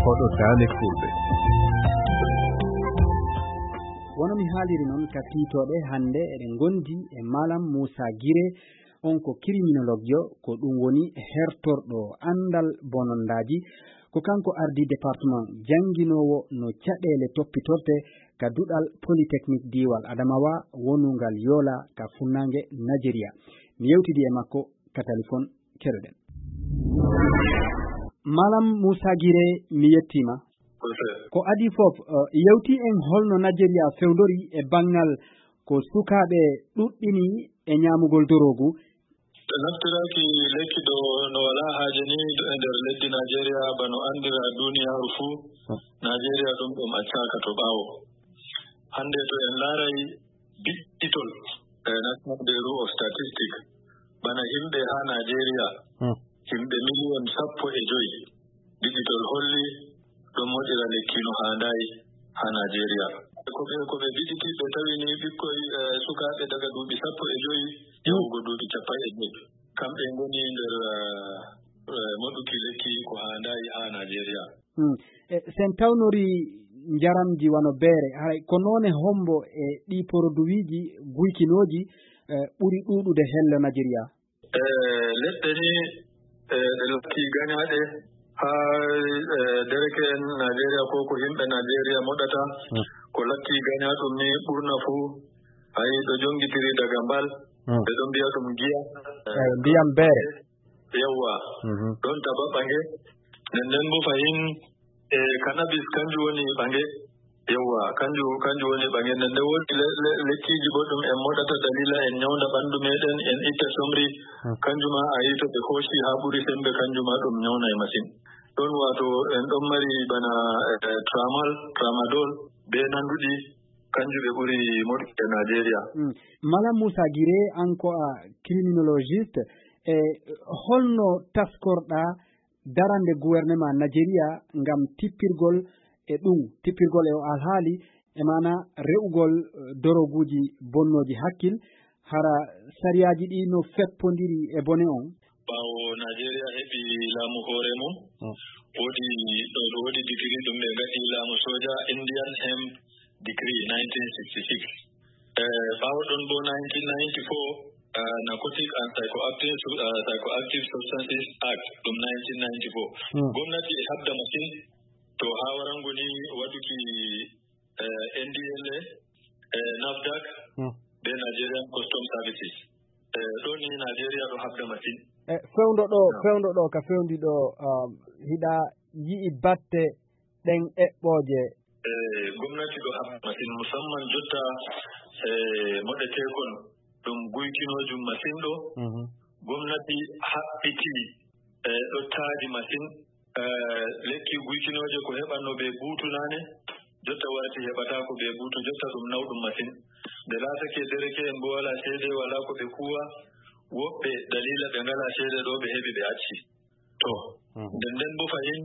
koɗo dane fulɓe. wono mi haaliri noon ka tiitoɓe hande eɗen gondi e Malam Moussa Guiré on ko criminologue ko ɗum woni hertorɗo andal bonondaji ko kanko ardi département jangguinowo no caɗele toppitorte ka duɗal polytechnique diwal Adamawa wonungal Yola ka funnangue Nigeria. mi yewtidi e makko ka téléphone keɗoɗen. Malam Moussa Guiré mi yettima. ko adi fof yewti en holno Nigeria fewdori e bangal ko sukaɓe ɗuɗɗini e ñamugol dorogu. naftiraki lekki ɗo no wala haaje ni e nder leddi Nigeria bano andira duniyaru fuu. Nigeria ɗum accaka to ɓaawo. Hande to en laaray biɗɗitol National Bureau of Statistics bana himɓe ha Nigeria himɓe million 15 biɗɗitol holli ɗon moɗira lekki no haandayi ha Nigeria. ko ɓe biɗiti ɓe tawini ɓikkoy sukaaɓe daga duuɓi 15 yahugo duuɓi 15 kamɓe ngoni nder moɗuki lekki ko haandayi ha Nigeria. sen tawnori njaramji wano beere hay ko noone hombo e ɗi produiji guykinoji ɓuri ɗuɗude helle Nigeria. leɗɗe ni ɗe lakki gañaaɗe ha dereke en Nigeria ko himɓe Nigeria moɗata ko lakki gañaɗum ni ɓurna fuu ayi ɗo jongitiri daga mbal ɓe ɗon mbiya ɗum giya ndiyam beere yawwa ɗon taba ɓange nden bo fayin cannabis kanjum woni ɓange yawwa kanjum woni ɓange nden wodi lekkiji bo ɗum en moɗata dalila en nyawda ɓandu meɗen en itta somri kanjuma ayi to ɓe hoosi ha ɓuri sembe kanjuma ɗum nyawnay masin. ɗon wato en ɗon mari bana tramadol be nanduɗi kanjum ɓe ɓuri moɗuki e Nigeria. Malam Moussa Guiré an ko a criminologiste e holno taskorɗa darande gouvernement Nigeria ngam tippirgol e o alhaali e mana re'ugol doroguji bonnoji hakkil hara sariyaji ɗi no feppodiri e bone on. ɓawo Nigeria heɓi laamu hoore mum wodi digiri ɗum ɓe gaɗi laamu soja Indian Hemp Decree 1966. ɓawo ɗon bo 1994 Narcotic and Psychoactive Substances Act ɗum 1994. Gwamnati e habda masin to ha warango ni waɗuki NDLA NAFDAC be Nigerian Custom Services. ɗo ni Nigeria ɗo habda masin. fewndo ɗo ka fewndiɗo hiɗa yi'i batte ɗen eɓɓoje. Gwamnati ɗo habda masin musamman jotta moɗetekon ɗum guykinojum masin ɗo. Gwamnati haɓɓiti ɗo taadi masin lekki guykinoje ko heɓanno ɓe buutu nane jotta warti heɓatako ɓe buutu jotta ɗum nawɗum masin nde laatake dereke en bo wala seede wala ko ɓe kuwa woɓɓe dalila ɓe ngala seede ɗo ɓe heɓi ɓe acci to nden bo fayin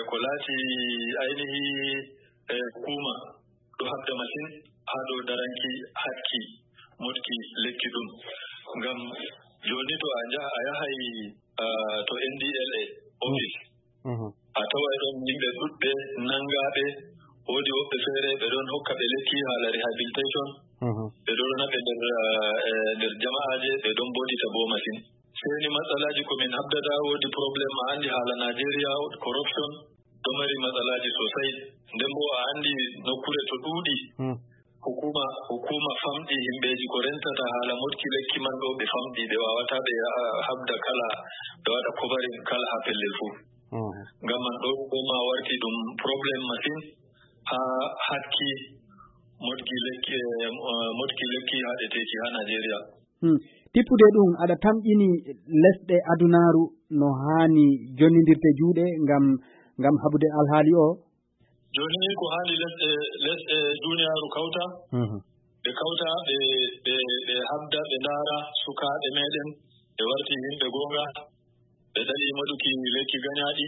ko laati ainihi hukuma ɗo habda masin ha dow daranki hakki moɗki lekki ɗum ngam joni to a yahay to NDLA office a tawai ɗon yimɓe ɗuɗɓe nangaɓe woodi woɓɓe feere ɓe ɗon hokka ɓe lekki haala rehabilitation ɓe ɗon naɓe nder jama'aje ɓe ɗon boɗita bo masin seni matsalaji komin habdata woodi probléme a andi haala Nigeria corruption ɗo mari matsalaji sosai nden bo a andi nokkure to ɗuuɗi hukuma famɗi himɓeji ko rentata haala moɗki lekki man ɗo ɓe famɗi ɓe wawata ɓe habda kala ɓe waɗa covaring kala ha pellel fuu ngam man ɗo ma warti ɗum probléme masin ha hakki moɗki lekki haɗeteki ha Nigeria. tippude ɗum aɗa tamƴini lesɗe adunaru no hani jonnidirte juuɗe ngam haɓude alhaali o. joni ni ko hani lesɗe duniyaru kawta ɓe kawta ɓe habda ɓe ndaara sukaaɓe meɗen ɓe warti yimɓe gonga ɓe ɗali moɗuki lekki gañaaɗi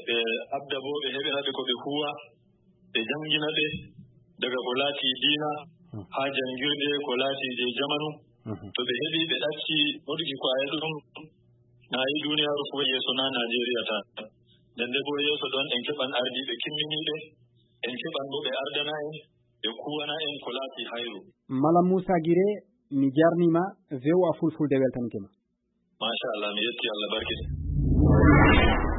ɓe habda bo ɓe heɓina ɓe ko ɓe huwa ɓe jangina ɓe daga ko laati diina ha jangirde ko laati je jamanu to ɓe heɓi ɓe ɗacci moɗuki ko a ɗum na yi duniyaru fu yeeso na Nigeria tan nden bo yeeso ɗon en keɓan ardiiɓe kimminiiɓe en keɓan bo ɓe ardana en ɓe kuwana en ko laati hayru. Malam Moussa Guiré mi jarnima VOA Fulfulde weltanike ma. Machallah mi yetti Allah barkide.